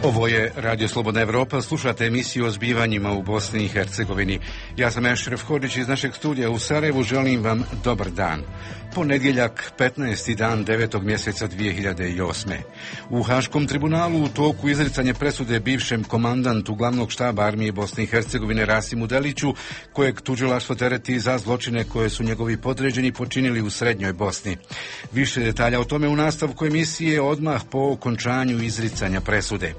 Ovo je Radio Slobodna Evropa, slušate emisiju o zbivanjima u Bosni i Hercegovini. Ja sam Ešref Hodžić iz našeg studija u Sarajevu, želim vam dobar dan. Ponedjeljak, 15. dan 9. mjeseca 2008. U Haškom tribunalu u toku izricanje presude bivšem komandantu glavnog štaba armije Bosne i Hercegovine Rasimu Deliću, kojeg tužilaštvo tereti za zločine koje su njegovi podređeni počinili u Srednjoj Bosni. Više detalja o tome u nastavku emisije odmah po okončanju izricanja presude.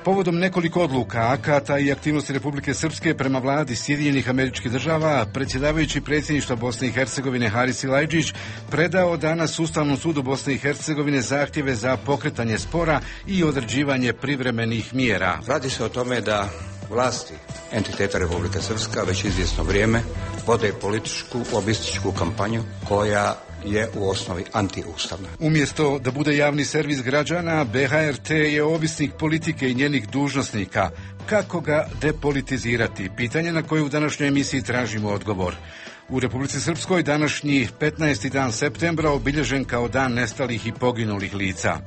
Povodom nekoliko odluka, akata i aktivnosti Republike Srpske prema vladi Sjedinjenih Američkih Država, predsjedavajući predsjedništva Bosne i Hercegovine Haris Silajdžić predao danas Ustavnom sudu Bosne i Hercegovine zahtjeve za pokretanje spora i određivanje privremenih mjera. Radi se o tome da vlasti entiteta Republike Srpska već izvjesno vrijeme vode političku, lobističku kampanju koja je u osnovi antiustavna. Umjesto da bude javni servis građana, BHRT je ovisnik politike i njenih dužnosnika. Kako ga depolitizirati? Pitanje na koje u današnjoj emisiji tražimo odgovor. U Republici Srpskoj današnji 15. dan septembra obilježen kao dan nestalih i poginulih lica.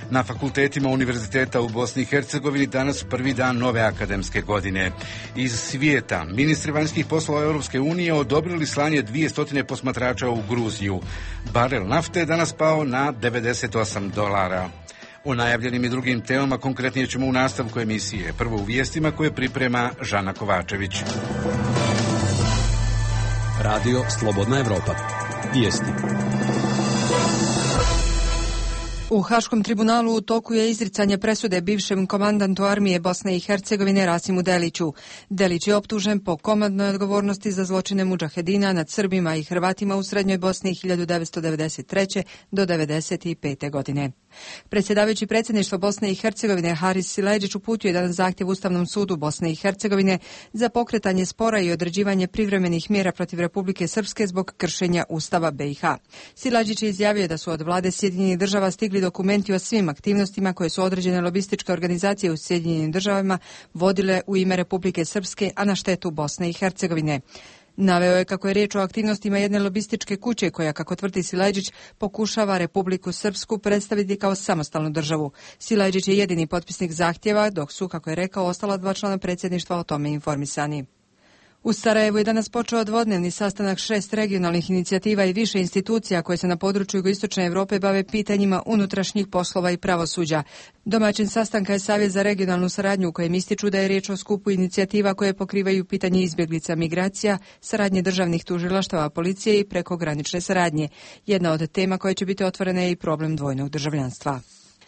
Na fakultetima univerziteta u Bosni i Hercegovini danas prvi dan nove akademske godine. Iz svijeta, ministri vanjskih poslova Europske unije odobrili slanje 200 posmatrača u Gruziju. Barel nafte je danas pao na $98. O najavljenim i drugim temama konkretnije ćemo u nastavku emisije. Prvo u vijestima koje priprema Žana Kovačević. Radio Slobodna Evropa. Vijesti. U Haškom tribunalu u toku je izricanje presude bivšem komandantu armije Bosne i Hercegovine Rasimu Deliću. Delić je optužen po komandnoj odgovornosti za zločine mudžahedina nad Srbima i Hrvatima u Srednjoj Bosni 1993. do 1995. godine. Predsjedavajući predsjedništva Bosne i Hercegovine Haris Silajdžić uputio je danas zahtjev Ustavnom sudu Bosne i Hercegovine za pokretanje spora i određivanje privremenih mjera protiv Republike Srpske zbog kršenja Ustava BiH. Silajdžić je izjavio da su od vlade Sjedinjenih Država stigli dokumenti o svim aktivnostima koje su određene lobističke organizacije u Sjedinjenim Državama vodile u ime Republike Srpske, a na štetu Bosne i Hercegovine. Naveo je kako je riječ o aktivnostima jedne lobističke kuće koja, kako tvrdi Silajdžić, pokušava Republiku Srpsku predstaviti kao samostalnu državu. Silajdžić je jedini potpisnik zahtjeva, dok su, kako je rekao, ostala 2 člana predsjedništva o tome informisani. U Sarajevu je danas počeo dvodnevni sastanak 6 regionalnih inicijativa i više institucija koje se na području jugoistočne Europe bave pitanjima unutrašnjih poslova i pravosuđa. Domaćin sastanka je Savjet za regionalnu saradnju u kojem ističu da je riječ o skupu inicijativa koje pokrivaju pitanje izbjeglica, migracija, saradnje državnih tužilaštava, policije i prekogranične saradnje. Jedna od tema koja će biti otvorena je i problem dvojnog državljanstva.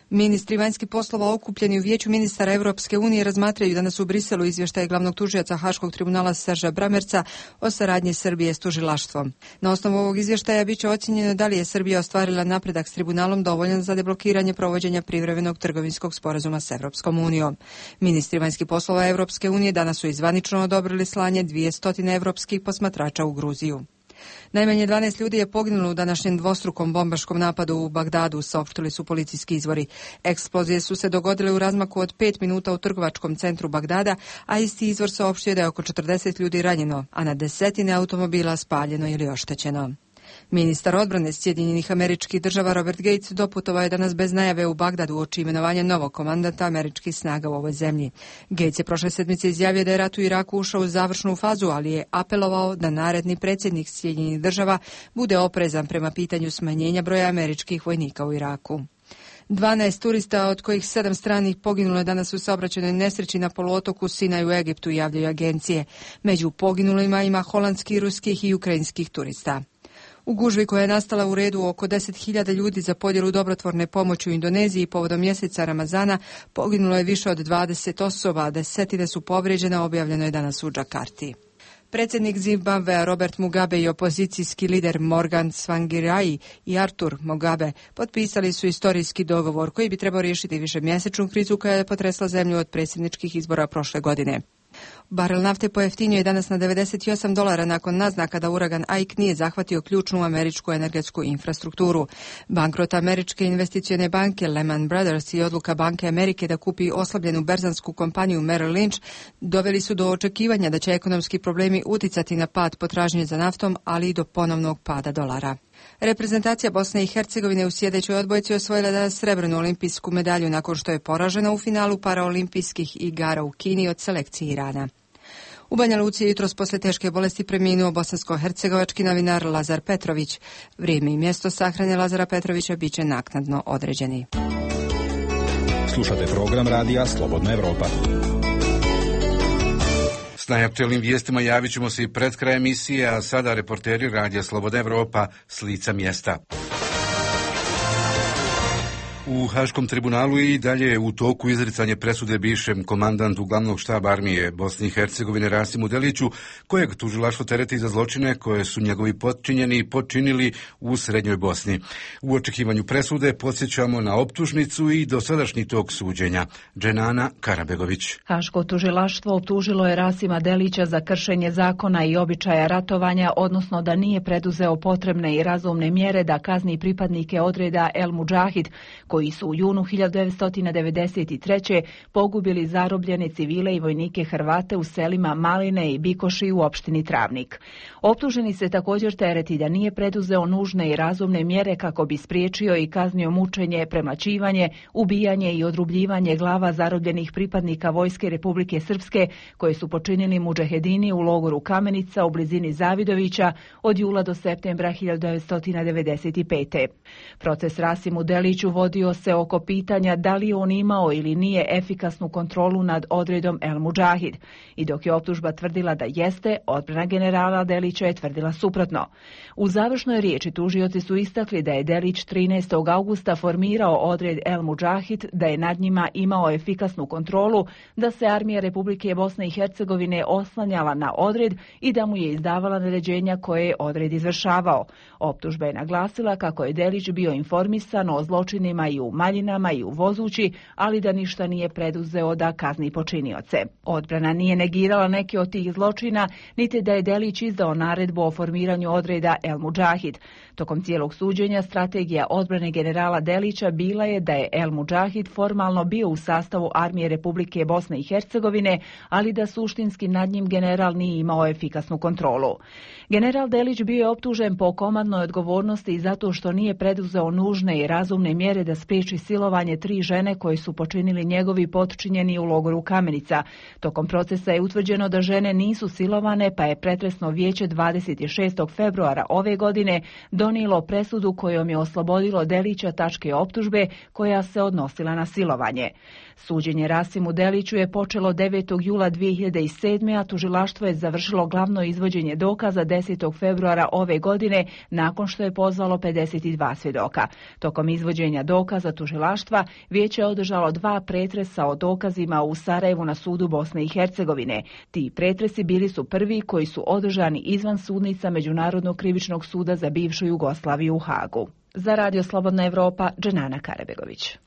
Ministri vanjskih poslova okupljeni u Vijeću ministara Europske unije razmatraju danas u Briselu izvještaj glavnog tužioca Haškog tribunala Serža Bramerca o saradnji Srbije s tužilaštvom. Na osnovu ovog izvještaja biće ocjenjeno da li je Srbija ostvarila napredak s tribunalom dovoljan za deblokiranje provođenja privremenog trgovinskog sporazuma s Europskom unijom. Ministri vanjskih poslova Europske unije danas su zvanično odobrili slanje 200 evropskih posmatrača u Gruziju. Najmanje 12 ljudi je poginulo u današnjem dvostrukom bombaškom napadu u Bagdadu, saopštili su policijski izvori. Eksplozije su se dogodile u razmaku od 5 minuta u trgovačkom centru Bagdada, a isti izvor saopštio da je oko 40 ljudi ranjeno, a na desetine automobila spaljeno ili oštećeno. Ministar odbrane Sjedinjenih Američkih Država Robert Gates doputovao je danas bez najave u Bagdadu uoči imenovanja novog komandanta američkih snaga u ovoj zemlji. Gates je prošle sedmice izjavio da je rat u Iraku ušao u završnu fazu, ali je apelovao da naredni predsjednik Sjedinjenih Država bude oprezan prema pitanju smanjenja broja američkih vojnika u Iraku. 12 turista, od kojih 7 stranih, poginulo je danas u saobraćajnoj nesreći na poluotoku Sinaj u Egiptu, javljaju agencije. Među poginulima ima holandskih, ruskih i ukrajinskih turista. U gužvi koja je nastala u redu oko 10.000 ljudi za podjelu dobrotvorne pomoći u Indoneziji povodom mjeseca Ramazana poginulo je više od 20 osoba, a desetine su povrijeđene, objavljeno je danas u Džakarti. Predsjednik Zimbabvea Robert Mugabe i opozicijski lider Morgan Tsvangirai i Arthur Mugabe potpisali su istorijski dogovor koji bi trebao riješiti višemjesečnu krizu koja je potresla zemlju od predsjedničkih izbora prošle godine. Barel nafte pojeftinio je danas na $98 nakon naznaka da uragan Ike nije zahvatio ključnu američku energetsku infrastrukturu. Bankrot američke investicione banke Lehman Brothers i odluka Banke Amerike da kupi oslabljenu berzansku kompaniju Merrill Lynch doveli su do očekivanja da će ekonomski problemi uticati na pad potražnje za naftom, ali i do ponovnog pada dolara. Reprezentacija Bosne i Hercegovine u sljedećoj odbojci osvojila da srebrnu olimpijsku medalju nakon što je poražena u finalu paraolimpijskih igara u Kini od selekcije Irana. U Banja Luci je jutros posle teške bolesti preminuo bosansko-hercegovački novinar Lazar Petrović. Vrijeme i mjesto sahrane Lazara Petrovića biće naknadno određeni. Slušate program radija Slobodna Evropa. S najaktuelnim vijestima javit ćemo se i pred kraj emisije, a sada reporteri radija Slobodna Evropa s lica mjesta. U Haškom tribunalu i dalje je u toku izricanje presude bivšem komandantu glavnog štaba armije Bosne i Hercegovine Rasimu Deliću, kojeg tužilaštvo tereti za zločine koje su njegovi potčinjeni počinili u Srednjoj Bosni. U očekivanju presude podsjećamo na optužnicu i dosadašnji tok suđenja. Dženana Karabegović. Haško tužilaštvo optužilo je Rasima Delića za kršenje zakona i običaja ratovanja, odnosno da nije preduzeo potrebne i razumne mjere da kazni pripadnike odreda El Mudžahid, koji su u junu 1993. pogubili zarobljene civile i vojnike Hrvate u selima Maline i Bikoši u opštini Travnik. Optuženi se također tereti da nije preduzeo nužne i razumne mjere kako bi spriječio i kaznio mučenje, premlaćivanje, ubijanje i odrubljivanje glava zarobljenih pripadnika Vojske Republike Srpske koje su počinili mudžahedini u logoru Kamenica u blizini Zavidovića od jula do septembra 1995. Proces Rasimu Deliću vodio se oko pitanja da li on imao ili nije efikasnu kontrolu nad odredom El Mudžahid. I dok je optužba tvrdila da jeste, odbrana generala Delića je tvrdila suprotno. U završnoj riječi tužioci su istakli da je Delić 13. augusta formirao odred El Mudžahid, da je nad njima imao efikasnu kontrolu, da se armija Republike Bosne i Hercegovine oslanjala na odred i da mu je izdavala naređenja koje je odred izvršavao. Optužba je naglasila kako je Delić bio informisan o zločinima i u Maljinama i u Vozući, ali da ništa nije preduzeo da kazni počinioce. Odbrana nije negirala neke od tih zločina, niti da je Delić izdao naredbu o formiranju odreda El Mudžahid. Tokom cijelog suđenja strategija odbrane generala Delića bila je da je El Mudžahid formalno bio u sastavu armije Republike Bosne i Hercegovine, ali da suštinski nad njim general nije imao efikasnu kontrolu. General Delić bio je optužen po komandnoj odgovornosti zato što nije preduzeo nužne i razumne mjere da spriječi silovanje 3 žene koje su počinili njegovi potčinjeni u logoru Kamenica. Tokom procesa je utvrđeno da žene nisu silovane, pa je pretresno vijeće 26. februara ove godine donijelo presudu kojom je oslobodilo Delića tačke optužbe koja se odnosila na silovanje. Suđenje Rasimu Deliću je počelo 9. jula 2007. a tužilaštvo je završilo glavno izvođenje dokaza 10. februara ove godine nakon što je pozvalo 52 svjedoka. Tokom izvođenja dokaza tužilaštva vijeće je održalo 2 pretresa o dokazima u Sarajevu na sudu Bosne i Hercegovine. Ti pretresi bili su prvi koji su održani izvan sudnica Međunarodnog krivičnog suda za bivšu Jugoslaviju u Hagu. Za Radio Slobodna Evropa, Dženana Karabegović.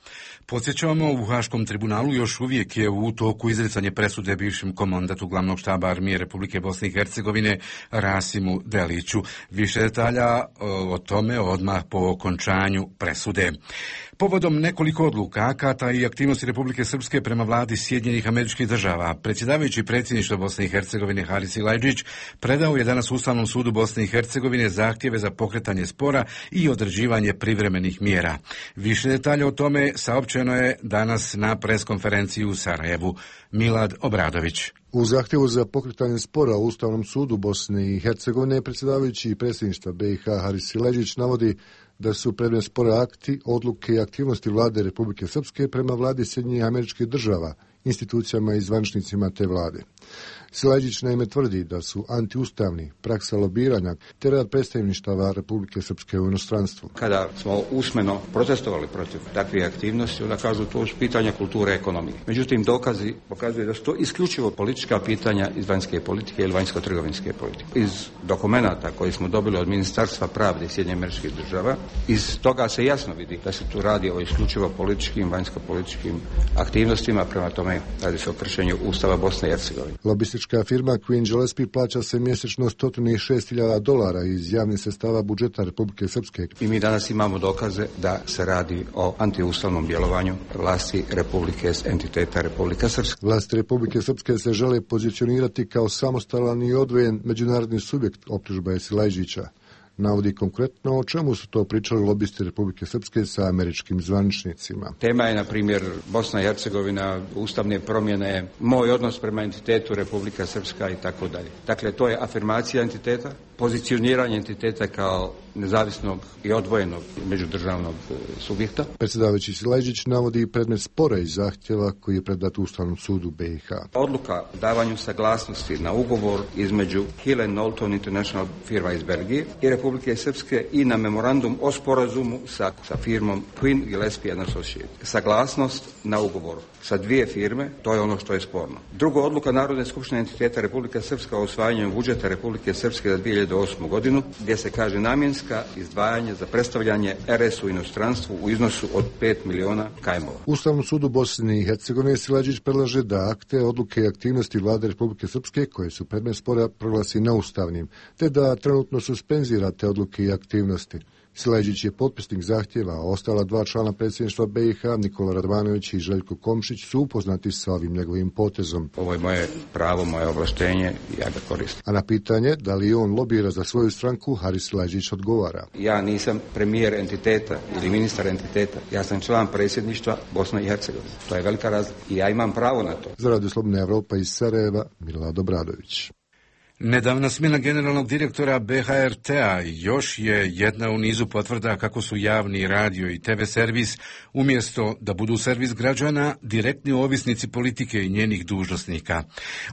Podsjećamo, u Haškom tribunalu još uvijek je u toku izricanje presude bivšem komandantu glavnog štaba armije Republike Bosne i Hercegovine Rasimu Deliću. Više detalja o tome odmah po okončanju presude. Povodom nekoliko odluka, akata i aktivnosti Republike Srpske prema vladi Sjedinjenih Američkih Država, predsjedavajući predsjedništva Bosne i Hercegovine Haris Silajdžić predao je danas Ustavnom sudu Bosne i Hercegovine zahtjeve za pokretanje spora i određivanje privremenih mjera. Više detalja o tome saopćeno je danas na preskonferenciji u Sarajevu. Milad Obradović. U zahtjevu za pokretanje spora u Ustavnom sudu Bosne i Hercegovine predsjedavajući predsjedništva BiH Haris Silajdžić navodi da su predmet spora akti, odluke i aktivnosti vlade Republike Srpske prema vladi Sjedinjenih Američkih Država, institucijama i zvaničnicima te vlade. Silajdžić naime tvrdi da su antiustavni, praksa lobiranja te rad predstavništava Republike Srpske u inostranstvu. Kada smo usmeno protestovali protiv takvih aktivnosti, onda kažu to je pitanje kulture i ekonomije. Međutim, dokazi pokazuju da su to isključivo politička pitanja iz vanjske politike ili vanjsko-trgovinske politike. Iz dokumenata koji smo dobili od Ministarstva pravde Sjedinjenih Američkih Država, iz toga se jasno vidi da se tu radi o isključivo političkim, vanjsko-političkim aktivnostima, prema tome radi se o kršenju Ustava Bosne i Hercegovine. Lobistička firma Queen Gillespie plaća se mjesečno $106.000 iz javnih sredstava budžeta Republike Srpske. I mi danas imamo dokaze da se radi o antiustavnom djelovanju vlasti Republike, entiteta Republika Srpska. Vlasti Republike Srpske se žele pozicionirati kao samostalan i odvojen međunarodni subjekt, optužba je Silajdžića. navodi konkretno o čemu su to pričali lobisti Republike Srpske sa američkim zvaničnicima. Tema je, na primjer, Bosna i Hercegovina, ustavne promjene, moj odnos prema entitetu Republika Srpska i tako dalje. Dakle, to je afirmacija entiteta, pozicioniranje entiteta kao nezavisnog i odvojenog međudržavnog subjekta. Predsjedavajući Sileđić navodi predmet spora i zahtjeva koji je predat Ustavnom sudu BiH. Odluka o davanju saglasnosti na ugovor između Hill & Knowlton International firma iz Belgije i Republike Srpske i na memorandum o sporazumu sa firmom Twin Gillespie & Associates. Saglasnost na ugovor sa dvije firme, to je ono što je sporno. Drugo, odluka Narodne skupštine entiteta Republika Srpska o usvajanju budžeta Republike Srpske za 2008. godinu, gdje se kaže namjenska izdvajanje za predstavljanje RS u inostranstvu u iznosu od 5 miliona kajmova. Ustavnom sudu Bosne i Hercegovine Sileđić predlaže da akte, odluke i aktivnosti vlade Republike Srpske koje su predmet spora proglasi neustavnim, te da trenutno suspenzira te odluke i aktivnosti. Sileđić je potpisnik zahtjeva, a ostala dva člana predsjedništva BiH, Nikola Radvanović i Željko Komšić, su upoznati sa ovim njegovim potezom. Ovo je moje pravo, moje ovlaštenje i ja ga koristim. A na pitanje da li on lobira za svoju stranku, Haris Sileđić odgovara. Ja nisam premijer entiteta ili ministar entiteta, ja sam član predsjedništva Bosne i Hercegovine. To je velika razlika i ja imam pravo na to. Za Radio Slobodna Evropa iz Sarajeva, Milad Obradović. Nedavna smjena generalnog direktora BHRT-a još je jedna u nizu potvrda kako su javni radio i TV servis, umjesto da budu servis građana, direktni ovisnici politike i njenih dužnosnika.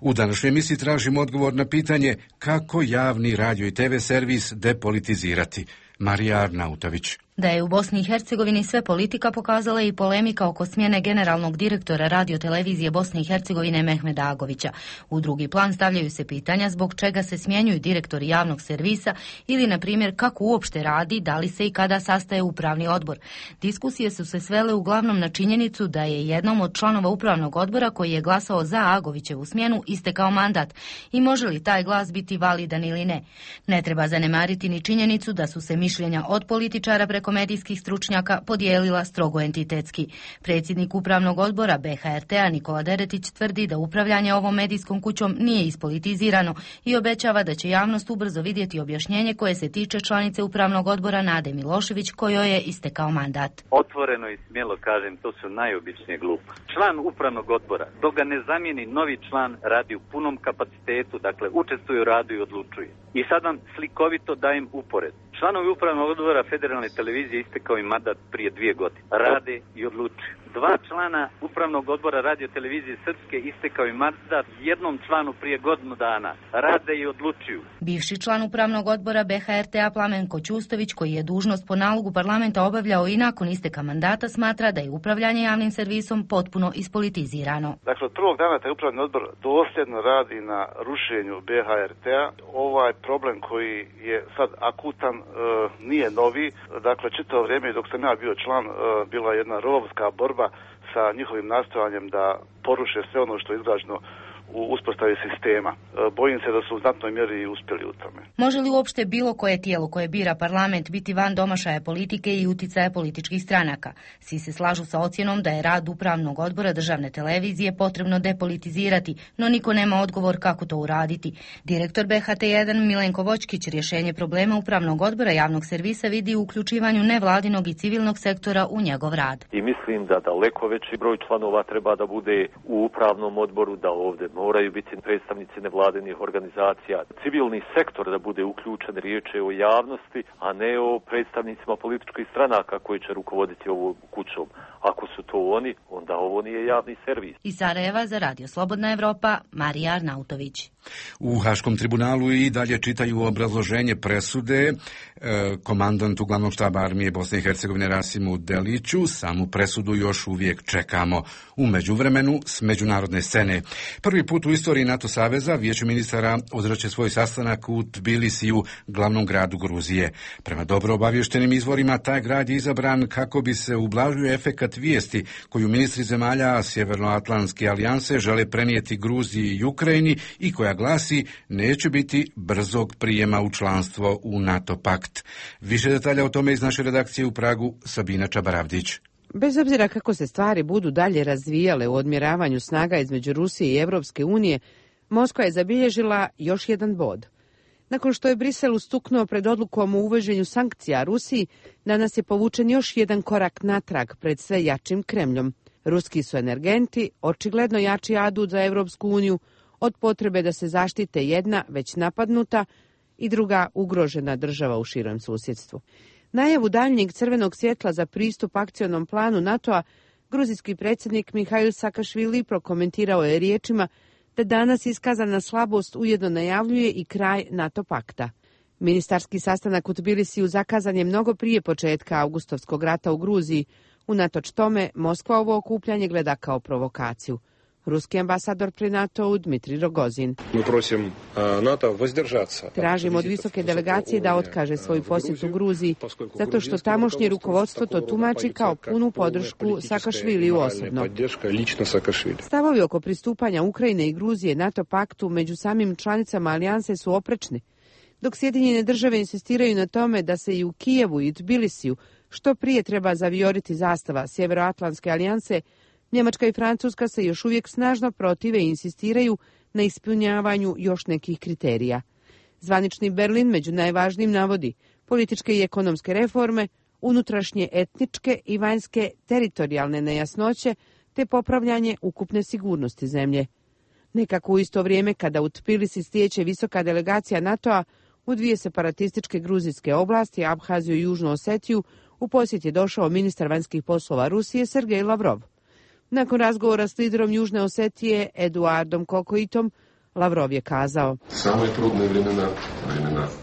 U današnjoj emisiji tražimo odgovor na pitanje kako javni radio i TV servis depolitizirati. Marija Arnautović. Da je u Bosni i Hercegovini sve politika pokazala i polemika oko smjene generalnog direktora radiotelevizije Bosne i Hercegovine Mehmeda Agovića. U drugi plan stavljaju se pitanja zbog čega se smjenjuju direktori javnog servisa ili, na primjer, kako uopšte radi, da li se i kada sastaje upravni odbor. Diskusije su se svele uglavnom na činjenicu da je jednom od članova upravnog odbora koji je glasao za Agovićevu smjenu istekao mandat i može li taj glas biti validan ili ne. Ne treba zanemariti ni činjenicu da su se mišljenja od političara preko medijskih stručnjaka podijelila strogo entitetski. Predsjednik upravnog odbora BHRT-a Nikola Deretić tvrdi da upravljanje ovom medijskom kućom nije ispolitizirano i obećava da će javnost ubrzo vidjeti objašnjenje koje se tiče članice upravnog odbora Nade Milošević kojoj je istekao mandat. Otvoreno i smjelo kažem, to su najobičnije gluposti. Član upravnog odbora, dok ga ne zamijeni novi član, radi u punom kapacitetu, dakle učestvuje u radu i odlučuje. I sad vam slikovito dajem upored. Članovi upravnog odbora Federalne televizije istekao im mandat prije 2 godine. Rade i odlučuju. 2 člana upravnog odbora radio televizije Srpske istekao im mandat jednom članu prije godinu dana. Rade i odlučuju. Bivši član upravnog odbora BHRT-a Plamenko Ćustović, koji je dužnost po nalogu parlamenta obavljao i nakon isteka mandata, smatra da je upravljanje javnim servisom potpuno ispolitizirano. Dakle, od prvog dana taj upravni odbor dosljedno radi na rušenju BHRT-a. Ovaj problem koji je sad akutan nije novi. Dakle, čitavo vrijeme dok sam ja bio član bila jedna rovska borba sa njihovim nastojanjem da poruše sve ono što je izgrađeno u uspostavi sistema. Bojim se da su u znatnoj mjeri i uspjeli u tome. Može li uopšte bilo koje tijelo koje bira parlament biti van domašaja politike i uticaja političkih stranaka? Svi se slažu sa ocjenom da je rad upravnog odbora državne televizije potrebno depolitizirati, no niko nema odgovor kako to uraditi. Direktor BHT1 Milenko Vočkić rješenje problema upravnog odbora javnog servisa vidi u uključivanju nevladinog i civilnog sektora u njegov rad. I mislim da daleko veći broj članova treba da bude u upravnom odboru, da ovdje moraju biti predstavnici nevladinih organizacija, civilni sektor da bude uključen, riječ je o javnosti, a ne o predstavnicima političkih stranaka koji će rukovoditi ovom kućom. Ako su to oni, onda ovo nije javni servis. Iz Sarajeva za Radio Slobodna Evropa, Marija Arnautović. U Haškom tribunalu i dalje čitaju obrazloženje presude komandantu glavnog štaba armije Bosne i Hercegovine Rasimu Deliću. Samu presudu još uvijek čekamo. U međuvremenu s međunarodne scene. Prvi put u istoriji NATO saveza Vijeće ministara održaće svoj sastanak u Tbilisiju, glavnom gradu Gruzije. Prema dobro obavještenim izvorima, taj grad je izabran kako bi se ublažio efekat vijesti koju ministri zemalja Sjevernoatlantske alijanse žele prenijeti Gruziji i Ukrajini i koja glasi neće biti brzog prijema u članstvo u NATO pakt. Više detalja o tome iz naše redakcije u Pragu, Sabina Čabaravdić. Bez obzira kako se stvari budu dalje razvijale u odmjeravanju snaga između Rusije i Europske unije, Moskva je zabilježila još jedan bod. Nakon što je Brisel ustuknuo pred odlukom o uvođenju sankcija Rusiji, danas je povučen još jedan korak natrag pred sve jačim Kremljom. Ruski su energenti očigledno jači adut za Evropsku uniju od potrebe da se zaštite jedna već napadnuta i druga ugrožena država u širem susjedstvu. Najavu daljnjeg crvenog svjetla za pristup akcionom planu NATO-a gruzijski predsjednik Mihail Sakašvili prokomentirao je riječima da danas iskazana slabost ujedno najavljuje i kraj NATO pakta. Ministarski sastanak u Tbilisiju zakazan je mnogo prije početka augustovskog rata u Gruziji. Unatoč tome, Moskva ovo okupljanje gleda kao provokaciju. Ruski ambasador pri NATO-u Dmitrij Rogozin. Tražimo od visoke delegacije da otkaže svoju posjetu Gruziji, zato što tamošnje rukovodstvo to tumači kao punu podršku Sakašviliju osobno. Stavovi oko pristupanja Ukrajine i Gruzije NATO paktu među samim članicama alijanse su oprečni, dok Sjedinjene države insistiraju na tome da se i u Kijevu i Tbilisiju što prije treba zavioriti zastava Sjeveroatlantske alijanse. Njemačka i Francuska se još uvijek snažno protive i insistiraju na ispunjavanju još nekih kriterija. Zvanični Berlin među najvažnijim navodi političke i ekonomske reforme, unutrašnje etničke i vanjske teritorijalne nejasnoće te popravljanje ukupne sigurnosti zemlje. Nekako u isto vrijeme kada u Tbilisi stječe visoka delegacija NATO-a u dvije separatističke gruzijske oblasti, Abhaziju i Južnu Osetiju, u posjet je došao ministar vanjskih poslova Rusije Sergej Lavrov. Nakon razgovora s liderom Južne Osetije Eduardom Kokoitom, Lavrov je kazao: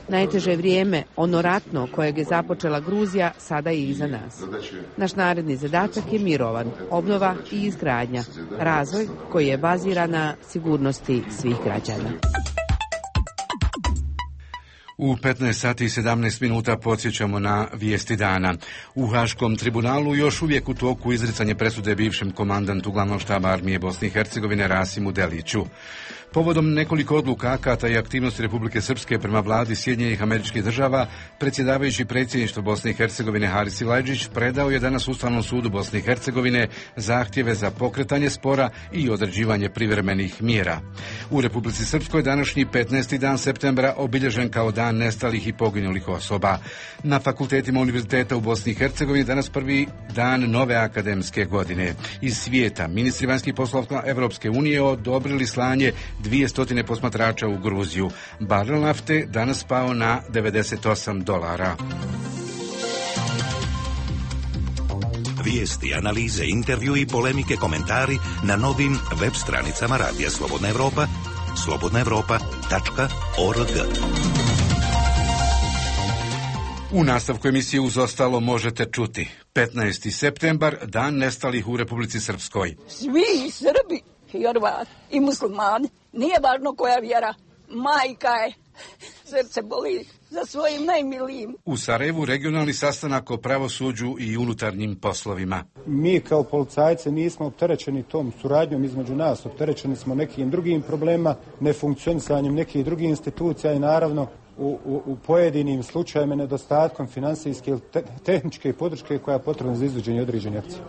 najteže vrijeme, ono ratno kojeg je započela Gruzija, sada je iza nas. Naš naredni zadatak je mirovan, obnova i izgradnja, razvoj koji je baziran na sigurnosti svih građana. U 15 sati i 17 minuta podsjećamo na vijesti dana. U Haškom tribunalu još uvijek u toku izricanje presude bivšem komandantu glavnog štaba armije Bosne i Hercegovine Rasimu Deliću. Povodom nekoliko odluka akata i aktivnosti Republike Srpske prema vladi Sjedinjenih Američkih Država, predsjedavajući predsjedništvo Bosne i Hercegovine Haris Silajdžić predao je danas Ustavnom sudu Bosne i Hercegovine zahtjeve za pokretanje spora i određivanje privremenih mjera. U Republici Srpskoj današnji 15. dan septembra obilježen kao dan nestalih i poginulih osoba. Na fakultetima univerziteta u Bosni i Hercegovini danas prvi dan nove akademske godine. Iz svijeta ministri vanjskih poslova Evropske unije odobrili slanje 200 posmatrača u Gruziju. Barel nafte danas pao na $98. Vijesti, analize, intervju i polemike, komentari na novim web stranicama Radija Slobodna Evropa, slobodnaevropa.org. U nastavku emisije uz ostalo možete čuti 15. septembar, dan nestalih u Republici Srpskoj. Svi Srbi i Hrvati i muslimani, nije važno koja vjera, majka je, srce boli za svojim najmilijim. U Sarajevu regionalni sastanak o pravosuđu i unutarnjim poslovima. Mi kao policajci nismo opterećeni tom suradnjom između nas, opterećeni smo nekim drugim problemima, nefunkcionisanjem nekih drugih institucija i naravno u pojedinim slučajevima nedostatkom finansijske ili tehničke podrške koja je potrebna za izvođenje određene akcije.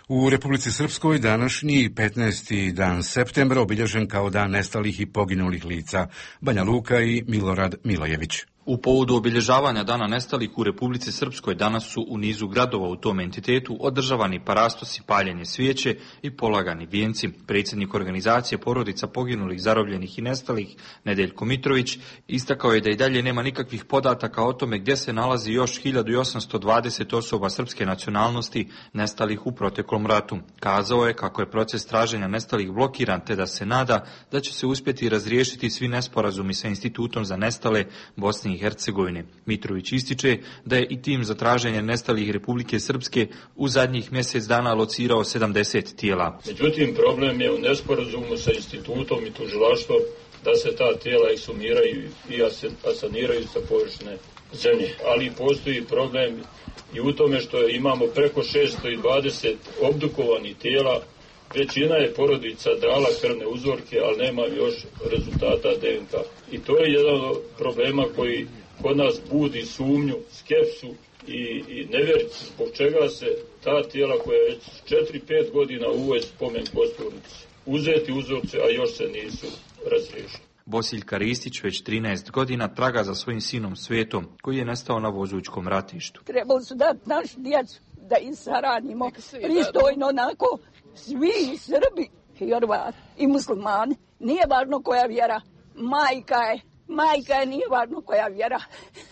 U Republici Srpskoj današnji 15. dan septembra obilježen kao dan nestalih i poginulih lica. Banja Luka i Milorad Milojević. U povodu obilježavanja Dana nestalih u Republici Srpskoj danas su u nizu gradova u tom entitetu održavani parastosi, paljenje svijeće i polagani vijenci. Predsjednik organizacije porodica poginulih, zarobljenih i nestalih, Nedeljko Mitrović, istakao je da i dalje nema nikakvih podataka o tome gdje se nalazi još 1820 osoba srpske nacionalnosti nestalih u proteklom ratu. Kazao je kako je proces traženja nestalih blokiran te da se nada da će se uspjeti razriješiti svi nesporazumi sa Institutom za nestale Bosne i Hercegovine. Mitrović ističe da je i tim za traženje nestalih Republike Srpske u zadnjih mjesec dana locirao 70 tijela. Međutim, problem je u nesporazumu sa institutom i tužilaštvom da se ta tijela eksumiraju i asaniraju sa površine zemlje. Ali postoji problem i u tome što imamo preko 620 obdukovanih tijela. Većina je porodica dala krvne uzorke, ali nema još rezultata DNK. I to je jedan od problema koji kod nas budi sumnju, skepsu i nevjerice zbog čega se ta tijela koja već 4-5 godina uvode spomen kosturnici, uzeti uzorce, a još se nisu razriješili. Bosiljka Ristić već 13 godina traga za svojim sinom Svetom, koji je nestao na Vozućkom ratištu. Trebali su dati našu djecu da ih saranimo pristojno, onako, svi i Srbi, i Hrvati, i muslimani. Nije važno koja vjera, majka je, nije važno koja vjera.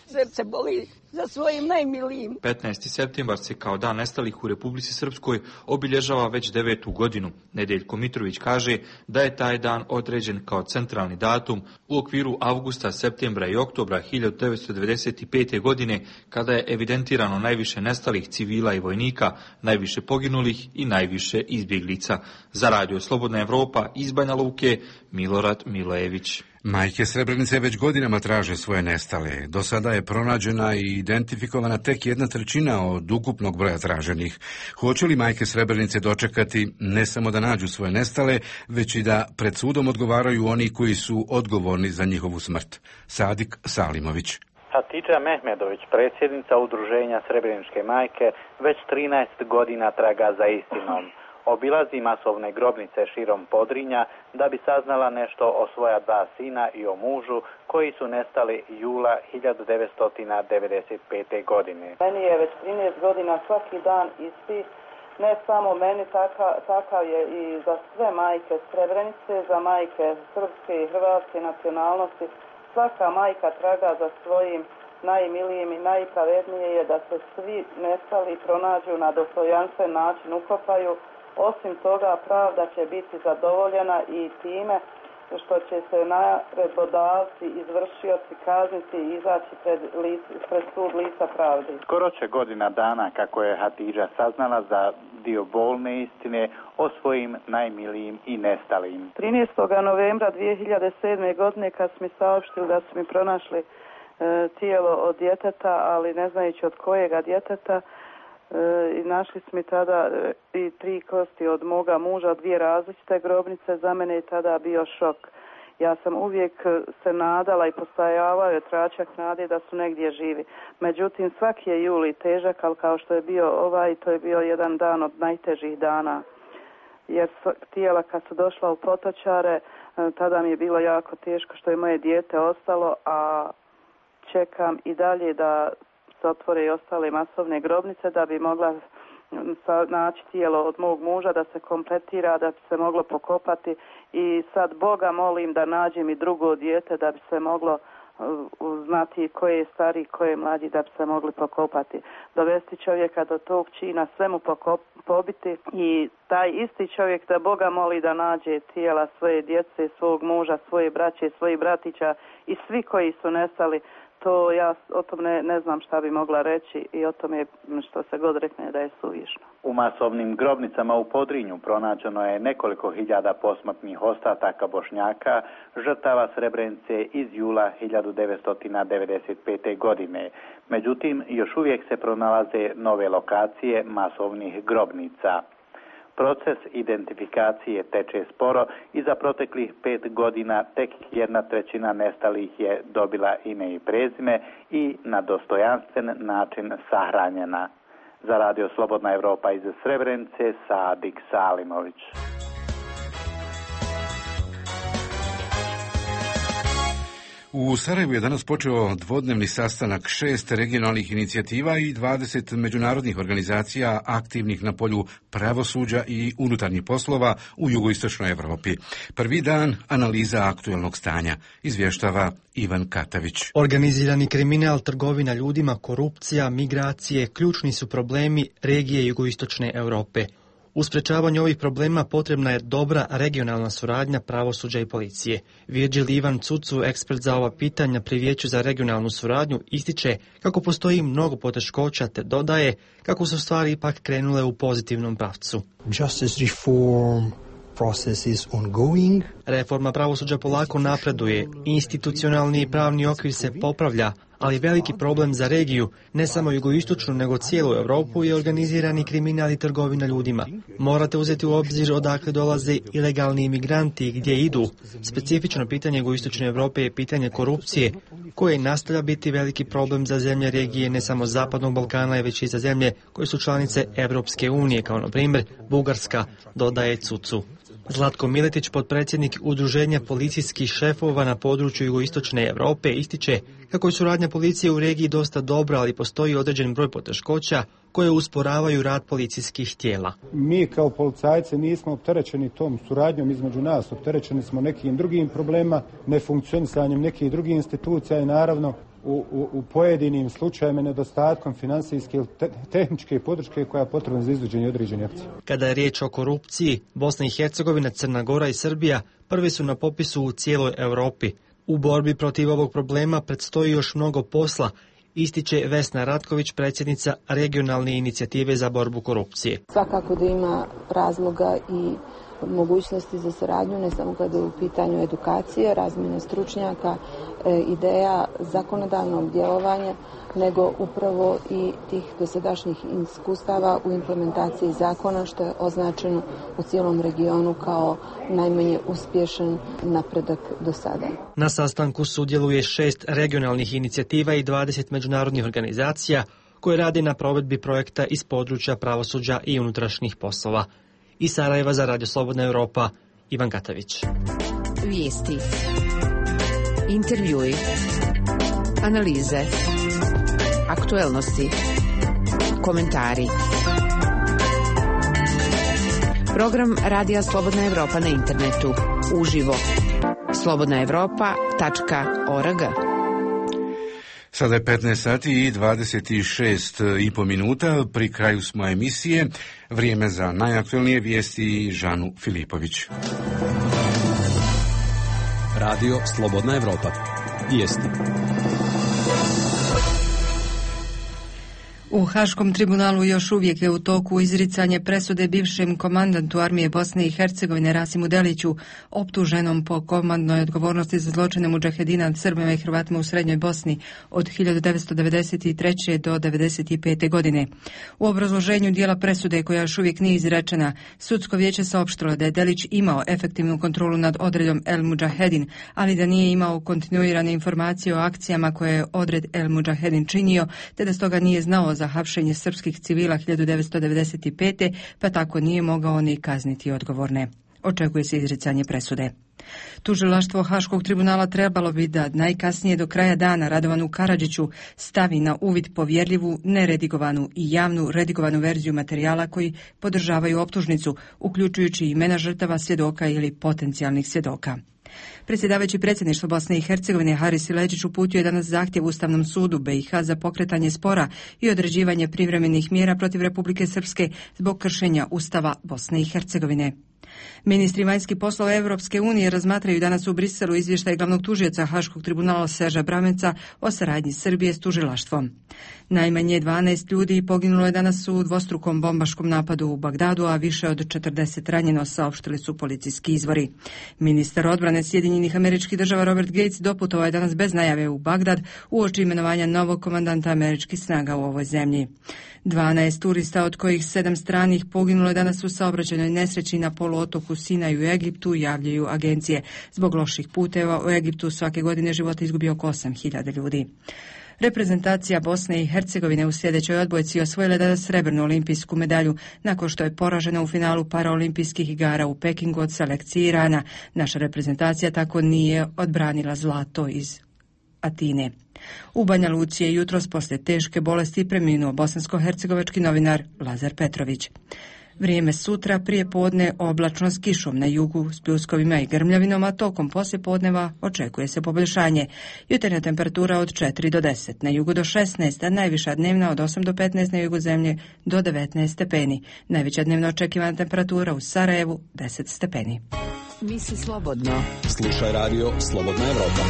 Srce boli za svojim najmilijim. 15. septembar se kao dan nestalih u Republici Srpskoj obilježava već 9. godinu. Nedeljko Mitrović kaže da je taj dan određen kao centralni datum u okviru avgusta, septembra i oktobra 1995. godine, kada je evidentirano najviše nestalih civila i vojnika, najviše poginulih i najviše izbjeglica. Za Radio Slobodna Evropa iz Banja Luke, Milorad Milojević. Majke Srebrenice već godinama traže svoje nestale. Do sada je pronađena i identifikovana tek 1/3 od ukupnog broja traženih. Hoće li majke Srebrenice dočekati ne samo da nađu svoje nestale, već i da pred sudom odgovaraju oni koji su odgovorni za njihovu smrt? Sadik Salimović. Hatidža Mehmedović, predsjednica udruženja Srebreničke majke, već 13 godina traga za istinom. Obilazi masovne grobnice širom Podrinja da bi saznala nešto o svoja 2 sina i o mužu koji su nestali jula 1995. godine. Meni je već 13 godina svaki dan isti, ne samo meni, takav je i za sve majke Srebrenice, za majke srpske i hrvatske nacionalnosti. Svaka majka traga za svojim najmilijim i najpravednije je da se svi nestali pronađu na dostojanstven način, ukopaju. Osim toga, pravda će biti zadovoljena i time što će se naredbodavci, izvršioci kazniti i izaći pred sud lica pravde. Skoro će godina dana kako je Hatidža saznala za dio bolne istine o svojim najmilijim i nestalim. 13. novembra 2007. godine kad su mi saopštili da su mi pronašli tijelo od djeteta, ali ne znajući od kojega djeteta, i našli smo tada i 3 kosti od moga muža, 2 različite grobnice. Za mene je tada bio šok. Ja sam uvijek se nadala i postajavao je tračak nade da su negdje živi. Međutim, svaki je juli težak, ali kao što je bio to je bio jedan dan od najtežih dana. Jer tijela kad su došla u Potočare, tada mi je bilo jako teško što je moje dijete ostalo, a čekam i dalje da se otvore i ostale masovne grobnice da bi mogla naći tijelo od mog muža, da se kompletira, da bi se moglo pokopati i sad Boga molim da nađem i drugo dijete da bi se moglo znati ko je stari, ko je mlađi, da bi se mogli pokopati. Dovesti čovjeka do tog čina, sve mu pobiti i taj isti čovjek da Boga moli da nađe tijela svoje djece, svog muža, svoje braće, svojih bratića i svi koji su nestali. To ja o tom ne znam šta bi mogla reći i o tome što se god rekne da je suvišno. U masovnim grobnicama u Podrinju pronađeno je nekoliko hiljada posmrtnih ostataka Bošnjaka, žrtava Srebrenice iz jula 1995. godine. Međutim, još uvijek se pronalaze nove lokacije masovnih grobnica. Proces identifikacije teče sporo i za proteklih 5 godina tek 1/3 nestalih je dobila ime i prezime i na dostojanstven način sahranjena. Za Radio Slobodna Evropa iz Srebrenice, Sadik Salimović. U Sarajevu je danas počeo dvodnevni sastanak 6 regionalnih inicijativa i 20 međunarodnih organizacija aktivnih na polju pravosuđa i unutarnjih poslova u jugoistočnoj Evropi. Prvi dan analiza aktuelnog stanja, izvještava Ivan Katavić. Organizirani kriminal, trgovina ljudima, korupcija, migracije, ključni su problemi regije jugoistočne Europe. U sprečavanju ovih problema potrebna je dobra regionalna suradnja pravosuđa i policije. Virgil Ivan Cucu, ekspert za ova pitanja pri Vijeću za regionalnu suradnju, ističe kako postoji mnogo poteškoća te dodaje kako su stvari ipak krenule u pozitivnom pravcu. Justice reform process is ongoing. Reforma pravosuđa polako napreduje, institucionalni i pravni okvir se popravlja, Ali veliki problem za regiju, ne samo jugoistočnu nego cijelu Europu, je organizirani kriminal i trgovina ljudima. Morate uzeti u obzir odakle dolaze ilegalni imigranti i gdje idu. Specifično pitanje jugoistočne Europe je pitanje korupcije, koje nastavlja biti veliki problem za zemlje regije ne samo Zapadnog Balkana, već i za zemlje koje su članice Europske unije, kao na primjer Bugarska, dodaje Cucu. Zlatko Miletić, potpredsjednik Udruženja policijskih šefova na području jugoistočne Europe, ističe kako je suradnja policije u regiji dosta dobra, ali postoji određen broj poteškoća koje usporavaju rad policijskih tijela. Mi kao policajci nismo opterećeni tom suradnjom između nas, opterećeni smo nekim drugim problema, nefunkcionisanjem nekih drugih institucija i naravno u pojedinim slučajevima nedostatkom finansijske ili tehničke podrške koja je potrebna za izvođenje određenih akcija. Kada je riječ o korupciji, Bosna i Hercegovina, Crna Gora i Srbija prvi su na popisu u cijeloj Europi. U borbi protiv ovog problema predstoji još mnogo posla, ističe Vesna Ratković, predsjednica regionalne inicijative za borbu korupcije. Svakako da ima razloga i mogućnosti za saradnju, ne samo kada je u pitanju edukacije, razmjene stručnjaka, ideja zakonodavnog djelovanja, nego upravo i tih dosadašnjih iskustava u implementaciji zakona, što je označeno u cijelom regionu kao najmanje uspješan napredak do sada. Na sastanku sudjeluje 6 regionalnih inicijativa i 20 međunarodnih organizacija koje rade na provedbi projekta iz područja pravosuđa i unutrašnjih poslova. Iz Sarajeva za Radio Slobodna Europa, Ivan Katavić. Vijesti, intervjui, analize, aktuelnosti, komentari. Program Radija Slobodna Europa na internetu, uživo, slobodnaevropa.org. Sada je 15 sati i 26,5 minuta, pri kraju smo emisije. Vrijeme za najaktualnije vijesti Žanu Filipović. Radio Slobodna Europa. Vijesti. U Haškom tribunalu još uvijek je u toku izricanje presude bivšem komandantu armije Bosne i Hercegovine Rasimu Deliću, optuženom po komandnoj odgovornosti za zločine mudžahedina nad Srbima i Hrvatima u Srednjoj Bosni od 1993. do 1995. godine. U obrazloženju dijela presude, koja još uvijek nije izrečena, sudsko vijeće saopštilo da je Delić imao efektivnu kontrolu nad odredom El Mudžahedin, ali da nije imao kontinuirane informacije o akcijama koje je odred El Mudžahedin činio, te da stoga nije znao za hapšenje srpskih civila 1995. pa tako nije mogao ni kazniti odgovorne. Očekuje se izricanje presude. Tužilaštvo Haškog tribunala trebalo bi da najkasnije do kraja dana Radovanu Karadžiću stavi na uvid povjerljivu, neredigovanu i javnu redigovanu verziju materijala koji podržavaju optužnicu, uključujući imena žrtava, svjedoka ili potencijalnih svjedoka. Predsjedavajući predsjedništvo Bosne i Hercegovine Haris Siledžić uputio je danas zahtjev Ustavnom sudu BiH za pokretanje spora i određivanje privremenih mjera protiv Republike Srpske zbog kršenja Ustava Bosne i Hercegovine. Ministri vanjskih poslova Europske unije razmatraju danas u Briselu izvještaj glavnog tužioca Haškog tribunala Serža Brameca o saradnji Srbije s tužilaštvom. Najmanje 12 ljudi poginulo je danas u dvostrukom bombaškom napadu u Bagdadu, a više od 40 ranjeno, saopštili su policijski izvori. Ministar odbrane Sjedinjenih Američkih Država Robert Gates doputovao je danas bez najave u Bagdad uoči imenovanja novog komandanta američkih snaga u ovoj zemlji. 12 turista, od kojih 7 stranih, poginulo je danas u saobraćajnoj nesreći na poluotoku Sinaj u Egiptu, javljaju agencije. Zbog loših puteva u Egiptu svake godine života izgubi oko 8.000 ljudi. Reprezentacija Bosne i Hercegovine u sljedećoj odbojci osvojila danas srebrnu olimpijsku medalju nakon što je poražena u finalu paraolimpijskih igara u Pekingu od selekcije Irana. Naša reprezentacija tako nije odbranila zlato iz Atine. U Banja Luci je jutros poslije teške bolesti preminuo bosansko-hercegovački novinar Lazar Petrović. Vrijeme sutra prije podne oblačno s kišom na jugu, s pljuskovima i grmljavinom, a tokom poslijepodneva očekuje se poboljšanje. Jutarnja temperatura od 4 do 10, na jugu do 16, a najviša dnevna od 8 do 15, na jugu zemlje do 19 stepeni. Najveća dnevno očekivana temperatura u Sarajevu 10 stepeni. Misli slobodno. Slušaj radio Slobodna Europa.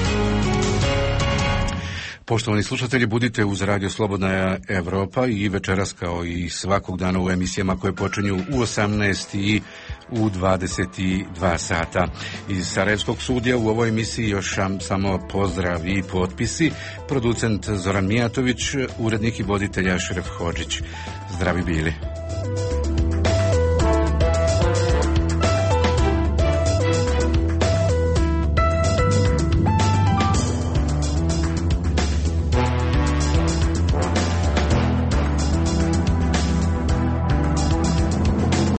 Poštovani slušatelji, budite uz Radio Slobodna Europa i večeras kao i svakog dana u emisijama koje počinju u 18 i u 22 sata. Iz Sarajevskog studija u ovoj emisiji još samo pozdrav i potpisi. Producent Zoran Mijatović, urednik i voditelj Ašref Hodžić. Zdravi bili.